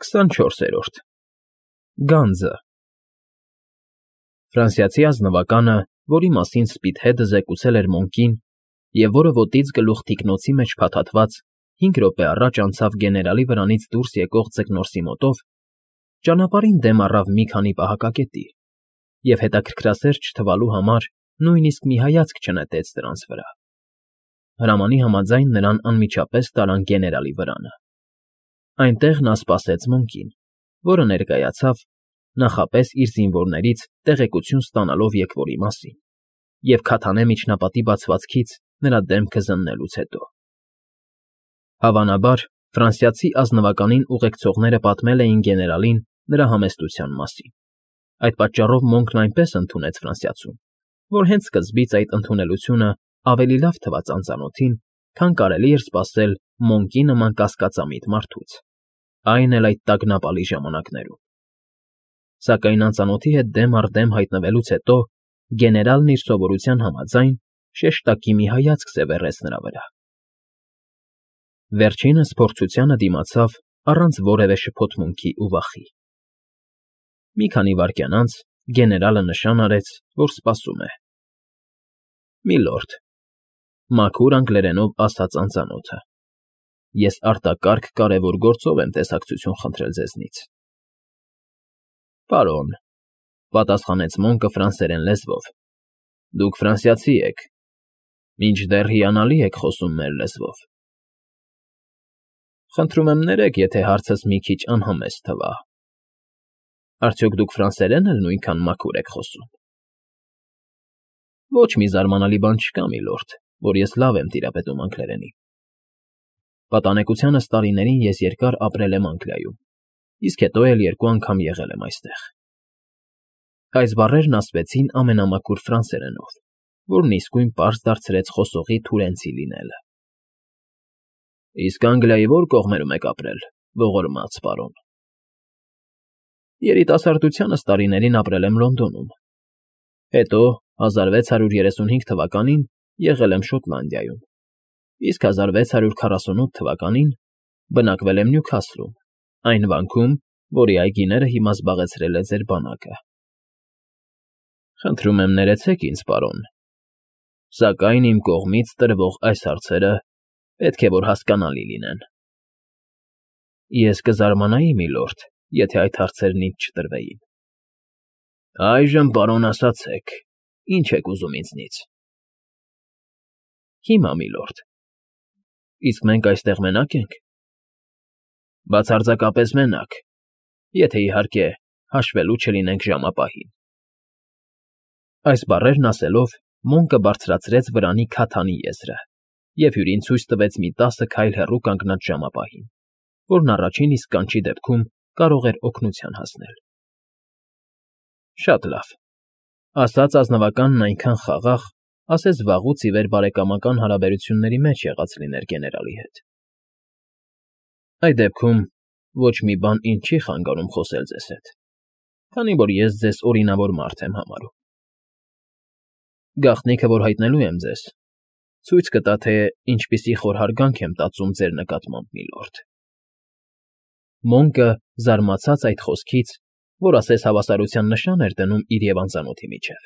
24-րդ Գանձը Ֆրանսիացի ազնվականը, որի մասին Սպիդհեդը զեկուցել էր Մոնկին և որը ոտից գլուխ թիկնոցի մեջ փաթաթված 5 րոպե առաջ անցավ գեներալի վրանից դուրս եկող ձկնորսի մոտով, ճանապարհին դեմ առավ մի քանի պահակակետի և հետաքրքրասեր չթվալու համար նույնիսկ մի հայացք չնետեց դրանց վրա։ Հրամանի համաձայն նրան անմիջապես տարան գեներալի վրանը։ Այնտեղ նա սպասեց Մոնկին, որը ներկայացավ, նախապես իր զինվորներից տեղեկություն ստանալով եկվորի մասին և քաթանե միջնապատի բացվածքից նրա դեմքը զննելուց հետո։ Հավանաբար, ֆրանսիացի ազնվականին ուղեկցողները պատմել էին գեներալին նրա համեստության մասին։ Այդ պատճառով Մոնկն այնպես ընդունեց ֆրանսիացուն, որ հենց սկզբից այդ ընդունելությունը ավելի լավ թվաց անծանոթին, քան կարելի էր սպասել Մոնկի նման կասկածամիտ մարդուց, այն էլ այդ տագնապալի ժամանակներում։ Սակայն անծանոթի հետ դեմ առ դեմ հայտնվելուց հետո գեներալն իր սովորության համաձայն շեշտակի մի հայացք սևեռեց նրա վրա։ Վերջինս փորձությանը դիմացավ առանց որևէ շփոթմունքի ու վախի։ Մի քանի վայրկյան անց գեներալը նշան արեց, որ սպասում է։ Միլորդ, մաքուր անգլերենով ասաց անծանոթը, ես արտակարգ կարևոր գործով եմ տեսակցություն խնդրել ձեզնից։ Պարոն, պատասխանեց Մոնկը ֆրանսերեն լեզվով, դուք ֆրանսիացի եք, մինչդեռ հիանալի եք խոսում մեր լեզվով։ Խնդրում եմ ներեք, եթե հարցս մի քիչ անհամեստ թվա։ Արդյոք դուք ֆրանսերեն էլ նույնքան մաքուր եք խոսում։ Ոչ մի զարմանալի բան չկա, միլորդ, որ ես լավ եմ տիրապետում անգլերենին։ Պատանեկությանս տարիներին ես երկար ապրել եմ Անգլիայում, իսկ հետո էլ 2 անգամ եղել եմ այստեղ։ Այս բառերն ասվեցին ամենամաքուր ֆրանսերենով, որն իսկույն պարզ դարձրեց խոսողի թուրենցի լինելը։ Իսկ Անգլիայի ո՞ր կողմերում եք ապրել, ողորմած պարոն։ Երիտասարդությանս տարիներին ապրել եմ Լոնդոնում, հետո 1635 թվականին եղել եմ Շոտլանդիայում, իսկ 1648 թվականին բնակվել եմ Նյուքասլում, այն վանքում, որի այգիները հիմա զբաղեցրել է ձեր բանակը։ Խնդրում եմ ներեցեք ինձ, պարոն, սակայն իմ կողմից տրվող այս հարցերը պետք է որ հասկանալի լինեն։ Ես կզարմանայի, միլորդ, եթե այդ հարցերն ինձ չտրվեին։ Այժմ, պարոն, ասացեք, ինչ եք ուզում ինձնից։ Հիմա, միլորդ։ Իսկ մենք այստեղ մենակ ենք։ Բացարձակապես մենակ, եթե իհարկե հաշվելու չլինենք ժամապահին։ Այս բառերն ասելով Մոնկը բարձրացրեց վրանի քաթանի եզրը և հյուրին ցույց տվեց մի 10 քայլ հեռու կանգնած ժամապահին, որն առաջին իսկ կանչի դեպքում կարող էր օգնության հասնել։ Շատ լավ, ասաց ազնվականն այնքան խաղաղ, ասես վաղուց ի վեր բարեկամական հարաբերությունների մեջ եղած լիներ գեներալի հետ։ Այդ դեպքում ոչ մի բան ինձ չի խանգարում խոսել ձեզ հետ, քանի որ ես ձեզ օրինավոր մարդ եմ համարում։ Գաղտնիքը, որ հայտնելու եմ ձեզ, ցույց կտա, թե ինչպիսի խորհարգանք եմ տածում ձեր նկատմամբ, միլորդ։ Մոնկը զարմացած այդ խոսքից, որ ասես հավասարության նշան էր դնում իր և անծանոթի միջև,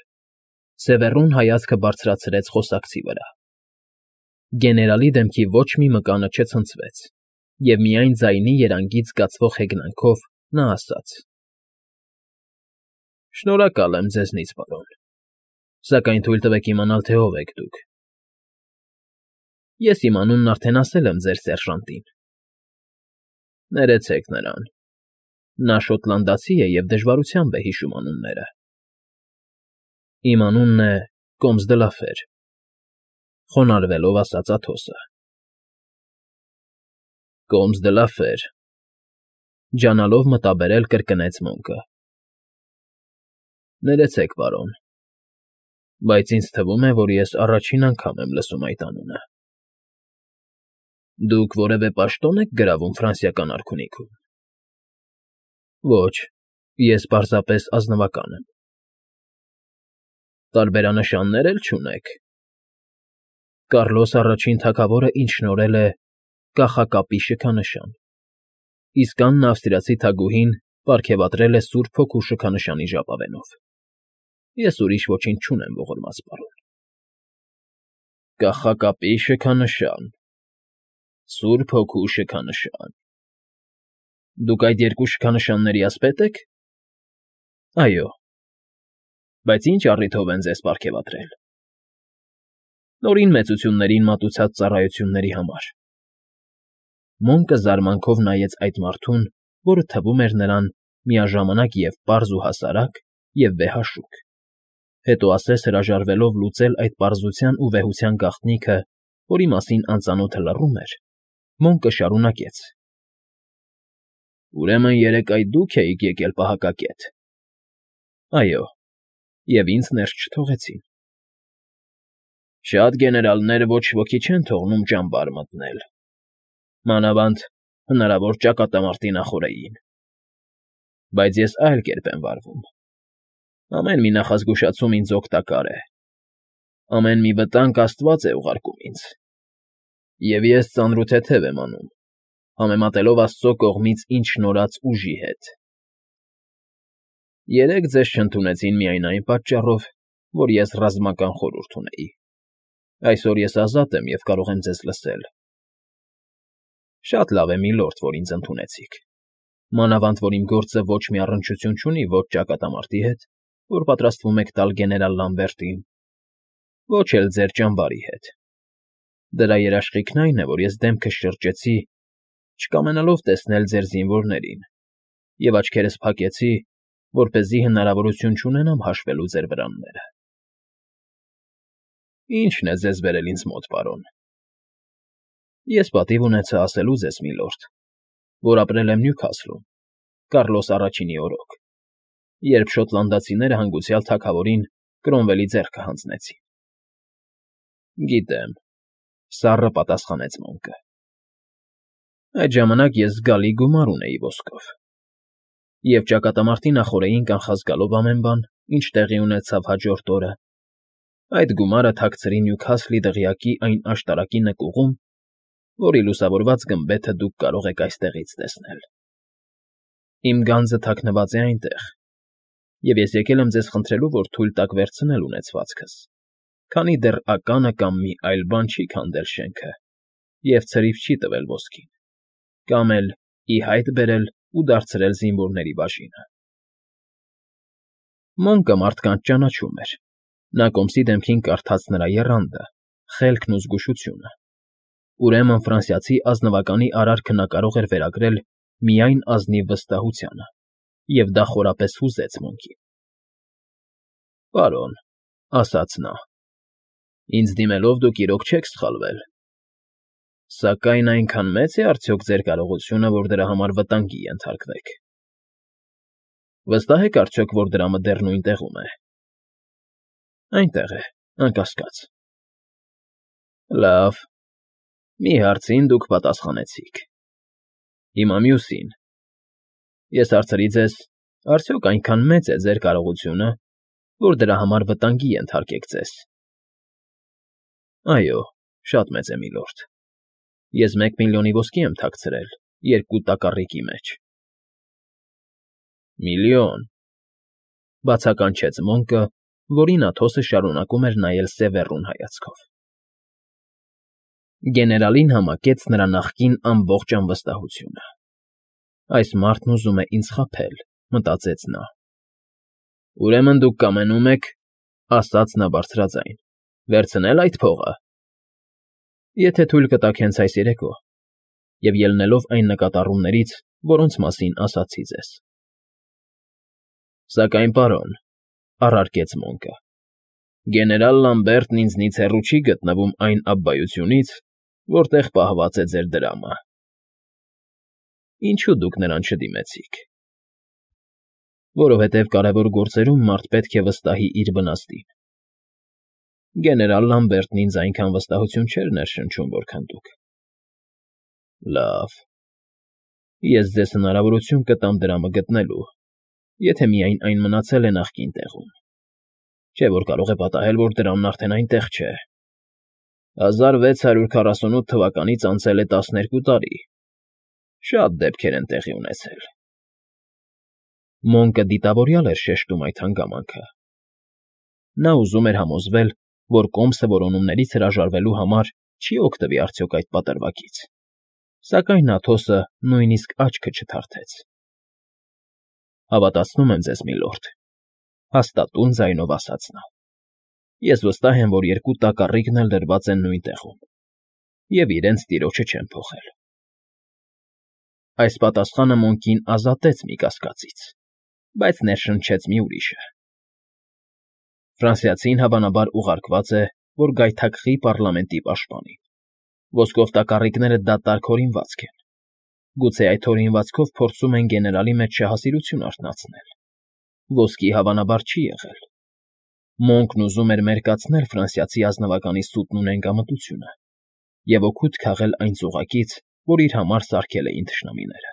սևեռուն հայացքը բարձրացրեց խոսակցի վրա։ Գեներալի դեմքի ոչ մի մկանը չցնցվեց, և միայն ձայնի երանգից զգացվող հեգնանքով նա ասաց. Շնորհակալ եմ ձեզնից, պարոն, սակայն թույլ տվեք իմանալ, թե ով եք դուք։ Ես իմ անունն արդեն ասել եմ ձեր սերժանտին։ Ներեցեք նրան։ Նա շոտլանդացի է և դժվարությամբ է հիշում անունները։ Իմ անունն է Կոմս֊դը֊Լաֆեր, խոնարհվելով ասաց Աթոսը։ Կոմս֊դը֊Լաֆեր, ջանալով մտաբերել կրկնեց Մոնկը։ Ներեցեք, պարոն, բայց ինձ թվում է, որ ես առաջին անգամ եմ լսում այդ անունը։ Դուք որևէ պաշտոն եք գրավում ֆրանսիական արքունիքում։ Ոչ, ես պարզապես ազնվական եմ։ Տարբերանշաններ էլ չունեք։ Կառլոս առաջին թագավորը ինձ շնորհել է կախակապի շքանշան, իսկ Աննա ավստրիացի թագուհին պարգևատրել է Սուրբ Հոգու շքանշանի ժապավենով։ Ես ուրիշ ոչինչ չունեմ ողորմած պարոն։ Կախակապի շքանշան, Սուրբ Հոգու շքանշան։ Դուք այդ երկու շքանշանների ասպետ եք։ Այո։ Բայց ինչ առիթով են ձեզ պարգևատրել։ Նորին մեծություններին մատուցած ծառայությունների համար։ Մոնկը զարմանքով նայեց այդ մարդուն, որը թվում էր նրան միաժամանակ և պարզ ու հասարակ, և վեհաշուք։ Հետո ասես հրաժարվելով լուծել այդ պարզության ու վեհության գաղտնիքը, որի մասին անծանոթը լռում էր, Մոնկը շարունակեց. Ուրեմն երեկ այդ դուք էիք եկել պահակակետ։ Այո, և ինձ ներս չթողեցին։ Շատ գեներալներ ոչ ոքի չեն թողնում ճամբար մտնել, մանավանդ հնարավոր ճակատամարտի նախօրեին։ Բայց ես այլ կերպ եմ վարվում։ Ամեն մի նախազգուշացում ինձ օգտակար է։ Ամեն մի վտանգ Աստված է ուղարկում ինձ։ Եվ ես ծանրութեթև եմ անում, համեմատելով Աստծո կողմից ինձ շնորհած ուժի հետ։ Երեկ ձեզ չընդունեցին միայն այն պատճառով, որ ես ռազմական խորհուրդ ունեի։ Այսօր ես ազատ եմ և կարող եմ ձեզ լսել։ Շատ լավ է, միլորդ, որ ինձ ընդունեցիք։ Մանավանդ, որ իմ գործը ոչ մի առնչություն չունի ոչ ճակատամարտի հետ, որ պատրաստվում եք տալ գեներալ Լամբերտին, ոչ էլ ձեր ճամբարի հետ։ Դրա երաշխիքն այն է, որ ես դեմքս շրջեցի, չկամենալով տեսնել ձեր զինվորներին, և աչքերս փակեցի, որպեսզի հնարավորություն չունենամ հաշվելու ձեր վրանները։ Ի՞նչն է ձեզ բերել ինձ մոտ, պարոն։ Ես պատիվ ունեցա ասելու ձեզ, միլորդ, որ ապրել եմ Նյուքասլում, Կառլոս Առաջինի օրոք, երբ շոտլանդացիները հանգուցյալ թագավորին Կրոմվելի ձեռքը հանձնեցին։ Գիտեմ, սառը պատասխանեց Մոնկը։ Այդ ժամանակ ես զգալի գումար ունեի ոսկով։ Եվ ճակատամարտի նախօրեին կանխազգալով ամեն բան, ինչ տեղի ունեցավ հաջորդ օրը, այդ գումարը թաքցրի Նյուքասլի դղյակի այն աշտարակի նկուղում, որի լուսավորված գմբեթը դուք կարող եք այստեղից տեսնել։ Իմ գանձը թաքնված է այնտեղ, և ես եկել եմ ձեզ խնդրելու, որ թույլ տաք վերցնել ունեցվածքս, քանի դեռ ականը կամ մի այլ բան չի քանդել շենքը և ցրիվ չի տվել ոսկին, կամ էլ ի հայտ բերել ու դարձրել զինվորների բաժինը։ Մոնկը մարդկանց ճանաչում էր։ Նա կոմսի դեմքին կարդաց նրա եռանդը, խելքն ու զգուշությունը։ Ուրեմն ֆրանսիացի ազնվականի արարքը նա կարող էր վերագրել միայն ազնիվ վստահությանը, և դա խորապես հուզեց Մոնկին։ Պարոն, ասաց նա, ինձ դիմելով դուք իրոք չեք սխալվել։ Սակայն այնքան մե՞ծ է արդյոք ձեր կարողությունը, որ դրա համար վտանգի ենթարկվեք։ Վստահ եք արդյոք, որ դրամը դեռ նույն տեղում է։ Այնտեղ է, անկասկած։ Լավ, մի հարցին դուք պատասխանեցիք։ Հիմա մյուսին։ Ես հարցրի ձեզ, արդյոք այնքան մեծ է ձեր կարողությունը, որ դրա համար վտանգի ենթարկեք ձեզ։ Այո, շատ մեծ է, միլորդ։ Ես 1 միլիոնի ոսկի եմ թաքցրել 2 տակառիկի մեջ։ Միլիոն, բացականչեց Մոնկը, որին Աթոսը շարունակում էր նայել սևեռուն հայացքով։ Գեներալին համակեց նրա նախկին ամբողջ անվստահությունը։ Այս մարդն ուզում է ինձ խաբել, մտածեց նա։ Ուրեմն դուք կամենում եք, ասաց նա բարձրաձայն, վերցնել այդ փողը։ Եթե թույլ կտաք հենց այս երեկո, և ելնելով այն նկատառումներից, որոնց մասին ասացի ձեզ։ Սակայն, պարոն, առարկեց Մոնկը, գեներալ Լամբերտն ինձնից հեռու չի գտնվում այն աբբայությունից, որտեղ պահված է ձեր դրամը։ Ինչո՞ւ դուք նրան չդիմեցիք։ Որովհետև կարևոր գործերում մարդ պետք է վստահի իր վնասին։ Գեներալ Լամբերտն ինձ այնքան վստահություն չէր ներշնչում, որքան դուք։ Լավ, ես ձեզ հնարավորություն կտամ դրամը գտնելու, եթե միայն այն մնացել է նախկին տեղում, չէ՞ որ կարող է պատահել, որ դրամն արդեն այնտեղ չէ։ 1648 թվականից անցել է 12 տարի։ Շատ դեպքեր են տեղի ունեցել։ Մոնկը դիտավորյալ էր շեշտում այդ հանգամանքը։ Նա ուզում էր համոզվել, որ կոմսը որոնումներից հրաժարվելու համար չի օգտվի արդյոք այդ պատրվակից, սակայն Աթոսը նույնիսկ աչքը չթարթեց։ Հավատացնում եմ ձեզ, միլորդ, հաստատուն ձայնով ասաց նա։ Ես վստահ եմ, որ երկու տակառիկն էլ դրված են նույն տեղում, և իրենց տիրոջը չեն փոխել։ Այս պատասխանը Մոնկին ազատեց մի կասկածից, բայց ներշնչեց մի ուրիշը։ Ֆրանսիացին հավանաբար ուղարկված է, որ գայթակղի պարլամենտի պաշտպանին։ Ոսկով տակառիկները դատարկ հորինվածք են։ Գուցե այդ հորինվածքով փորձում են գեներալի մեջ շահասիրություն արթնացնել։ Ոսկի հավանաբար չի եղել։ Մոնկն ուզում էր մերկացնել ֆրանսիացի ազնվականի սուտն ու նենգամտությունը և օգուտ քաղել այն ծուղակից, որ իր համար սարքել էին թշնամիները։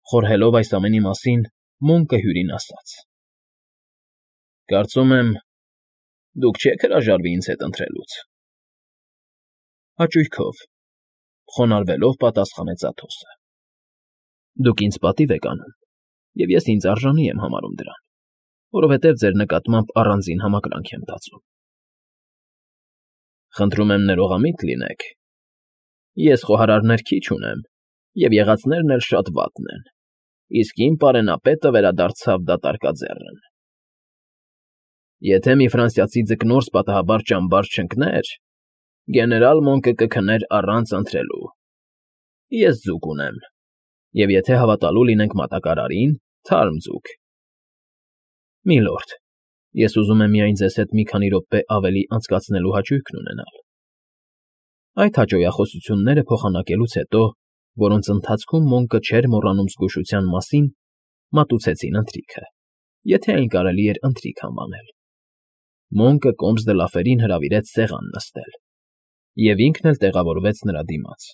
Խորհելով այս ամենի մասին, Մոնկը հյուրին ասաց. Կարծում եմ, դուք չեք հրաժարվի ինձ հետ ընթրելուց։ Հաճույքով, խոնարհվելով պատասխանեց Աթոսը։ Դուք ինձ պատիվ եք անում, և ես ինձ արժանի եմ համարում դրան, որովհետև ձեր նկատմամբ առանձին համակրանք եմ տածում։ Խնդրում եմ ներողամիտ լինեք։ Ես խոհարարներ քիչ ունեմ, և եղածներն էլ շատ վատն են, իսկ իմ պարենապետը վերադարձավ դատարկաձեռն։ Եթե մի ֆրանսիացի ձկնորս պատահաբար ճամբար չընկներ, գեներալ Մոնկը կքներ առանց ընթրելու։ Ես ձուկ ունեմ, և եթե հավատալու լինենք մատակարարին, թարմ ձուկ։ Միլորդ, ես ուզում եմ միայն ձեզ հետ մի քանի րոպե ավելի անցկացնելու հաճույքն ունենալ։ Այդ հաճոյախոսությունները փոխանակելուց հետո, որոնց ընթացքում Մոնկը չէր մոռանում զգուշության մասին, մատուցեցին ընթրիքը, եթե այն կարելի էր ընթրիք անվանել։ Մոնկը Կոմս դը Լաֆերին հրավիրեց սեղան նստել, և ինքն էլ տեղավորվեց նրա դիմաց։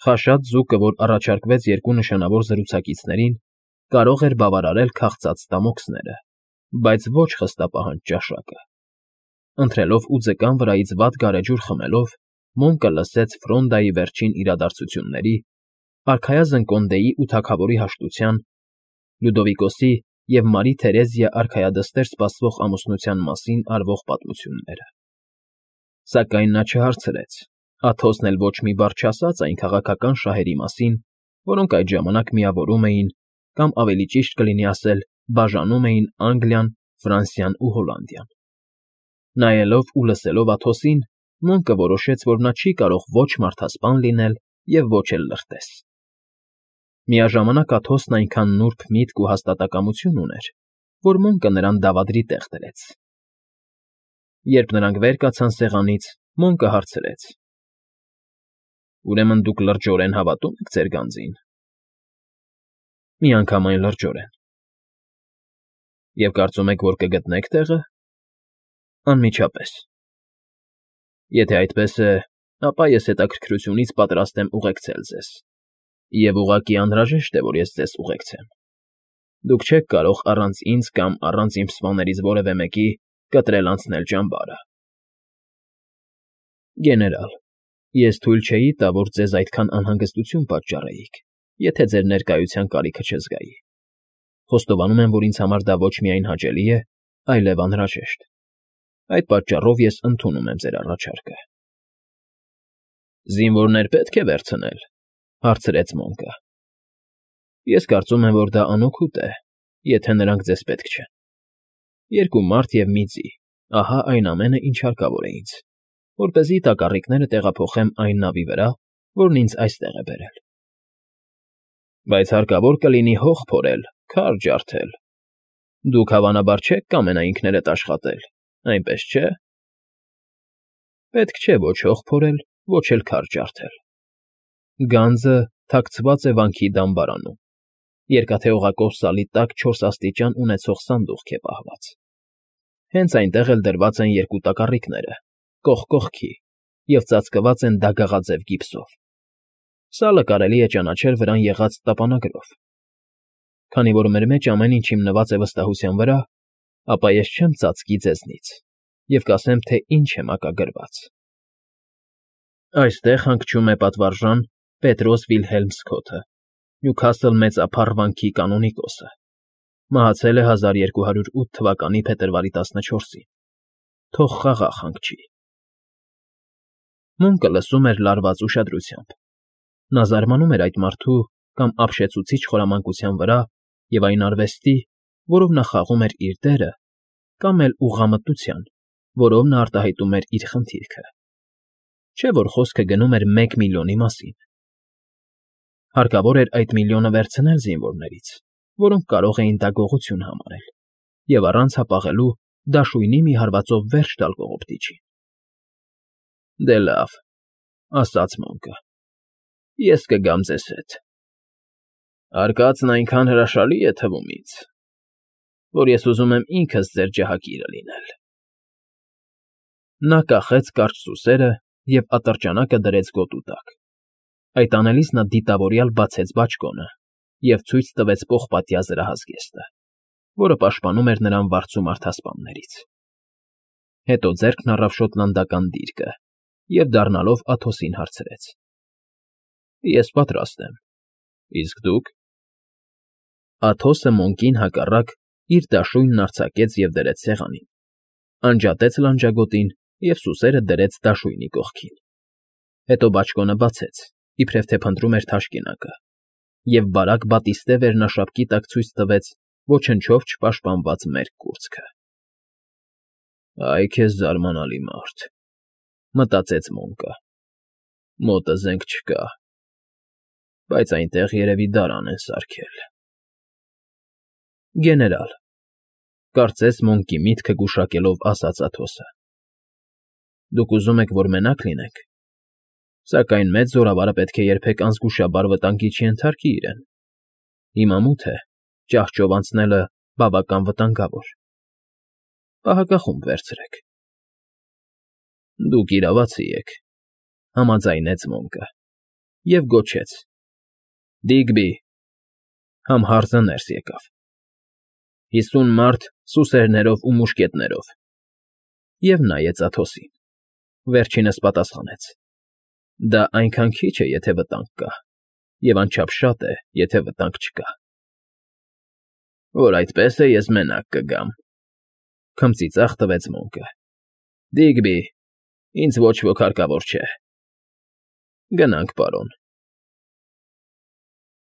Խաշած ձուկը, որ առաջարկվեց երկու նշանավոր զրուցակիցներին, կարող էր բավարարել քաղցած ստամոքսները, բայց ոչ խստապահանջ ճաշակը։ Ընթրելով ու ձկան վրայից վատ գարեջուր խմելով, Մոնկը լսեց Ֆրոնդայի վերջին իրադարձությունների, արքայազն Կոնդեի ու թագավորի հաշտության, Լյուդովիկոսի և Մարի Թերեզիա արքայադստեր սպասվող ամուսնության մասին արվող պատմությունները։ Սակայն նա չհարցրեց, Աթոսն էլ ոչ մի բառ չասաց այն քաղաքական շահերի մասին, որոնք այդ ժամանակ միավորում էին, կամ ավելի ճիշտ կլինի ասել, բաժանում էին Անգլիան, Ֆրանսիան ու Հոլանդիան։ Նայելով ու լսելով Աթոսին, Մոնկը որոշեց, որ նա չի կարող ոչ մարդասպան լինել և ոչ էլ լրտես։ Միաժամանակ Աթոսն այնքան նուրբ միտք ու հաստատակամություն ուներ, որ Մոնկը նրան դավադրի տեղ դրեց։ Երբ նրանք վեր կացան սեղանից, Մոնկը հարցրեց. Ուրեմն դուք լրջորեն հավատում եք ձեր գանձին։ Միանգամայն լրջորեն։ Եվ կարծում եք, որ կգտնեք տեղը։ Անմիջապես։ Եթե այդպես է, ապա ես հետաքրքրությունից պատրաստ եմ ուղեկցել ձեզ, և ուղղակի անհրաժեշտ է, որ ես ձեզ ուղեկցեմ։ Դուք չեք կարող առանց ինձ կամ առանց իմ սպաներից որևէ մեկի կտրել անցնել ճամբարը։ Գեներալ, ես թույլ չէի տա, որ ձեզ այդքան անհանգստություն պատճառեիք, եթե ձեր ներկայության կարիքը չզգայի։ Խոստովանում եմ, որ ինձ համար դա ոչ միայն հաճելի է, այլև անհրաժեշտ։ Այդ պատճառով ես ընդունում եմ ձեր առաջարկը։ Զինվորներ պետք է վերցնել, հարցրեց Մոնկը։ Ես կարծում եմ, որ դա անօգուտ է, եթե նրանք ձեզ պետք չեն։ Երկու մարդ և մի ձի, ահա այն ամենը, ինչ հարկավոր է ինձ, որպեսզի տակառիկները տեղափոխեմ այն նավի վրա, որն ինձ այստեղ է բերել։ Բայց հարկավոր կլինի հող փորել, քար ջարդել։ Դուք հավանաբար չեք կամենա ինքներդ աշխատել, այնպես չէ։ Պետք չէ ոչ հող փորել, ոչ էլ քար ջարդել։ Գանձը թաքցված է վանքի դամբարանում, երկաթե օղակով սալի տակ 4 աստիճան ունեցող սանդուղք է պահված։ Հենց այնտեղ էլ դրված են երկու տակառիկները, կողք կողքի, և ծածկված են դագաղաձև գիպսով։ Սալը կարելի է ճանաչել վրան եղած տապանագրով։ Քանի որ մեր մեջ ամեն ինչ հիմնված է վստահության վրա, ապա ես չեմ ծածկի ձեզնից և կասեմ, թե ինչ է մակագրված։ Այստեղ հանգչում է պատվարժան Պետրոս Վիլհելմ Սքոթը, Նյուքասլ մեծափառ վանքի կանոնիկոսը, մահացել է 1208 թվականի փետրվարի 14-ին, թող խաղաղ հանգչի։ Մունկը լսում էր լարված ուշադրությամբ։ Նա զարմանում էր այդ մարդու կամ ապշեցուցիչ խորամանկության վրա և այն արվեստի, որով նա խաղում էր իր դերը, կամ էլ ուղղամտության, որով նա արտահայտում էր իր խնդիրքը։ Չէ՞ որ խոսքը գնում էր 1 միլիոնի մասին։ Հարկավոր էր այդ միլիոնը վերցնել զինվորներից, որոնք կարող էին դա գողություն համարել, և առանց հապաղելու դաշույնի մի հարվածով վերջ տալ կողոպտիչին։ Դե լավ, ասաց Մոնկը, ես կգամ ձեզ հետ։ Արկածն այնքան հրաշալի է թվում ինձ, որ ես ուզում եմ ինքս ձեր ջահակիրը լինել։ Նա կախեց կարճ սուսերը և ատրճանակը դրեց գոտու տակ։ Այդ անելիս նա դիտավորյալ բացեց բաճկոնը և ցույց տվեց պողպատյա զրահազգեստը, որը պաշտպանում էր նրան վարձու մարդասպաններից։ Հետո ձեռքն առավ շոտլանդական դիրկը և, դառնալով Աթոսին, հարցրեց. Ես պատրաստ եմ, իսկ դուք։ Աթոսը Մոնկին հակառակ իր դաշույնն արձակեց և դրեց սեղանին, անջատեց լանջագոտին և սուսերը դրեց դաշույնի կողքին։ Հետո բաճկոնը բացեց, իբրև թե փնտրում էր թաշկինակը, և բարակ բատիստե վերնաշապկի տակ ցույց տվեց ոչնչով չպաշտպանված մերկ կուրծքը։ Այ քեզ զարմանալի մարդ, մտածեց Մոնկը, մոտը զենք չկա, բայց այնտեղ երևի դարան են սարքել։ Գեներալ, կարծես Մոնկի միտքը գուշակելով ասաց Աթոսը, դուք ուզում եք, որ մենակ լինենք, սակայն մեծ զորավարը պետք է երբեք անզգուշաբար վտանգի չենթարկի իրեն։ Հիմա մութ է, ճահճով անցնելը բավական վտանգավոր։ Պահակախումբ վերցրեք։ Դուք իրավացի եք, համաձայնեց Մոնկը և գոչեց. Դիգբի, համհարձը ներս եկավ։ 50 մարդ սուսերներով ու մուշկետներով։ Եվ նայեց Աթոսին։ Վերջինս պատասխանեց. Դա այնքան քիչ է, եթե վտանգ կա, և անչափ շատ է, եթե վտանգ չկա։ Որ այդպես է, ես մենակ կգամ, քմծիծաղ տվեց Մոնկը։ Դիգբի, ինձ ոչ ոք հարկավոր չէ։ Գնանք, պարոն։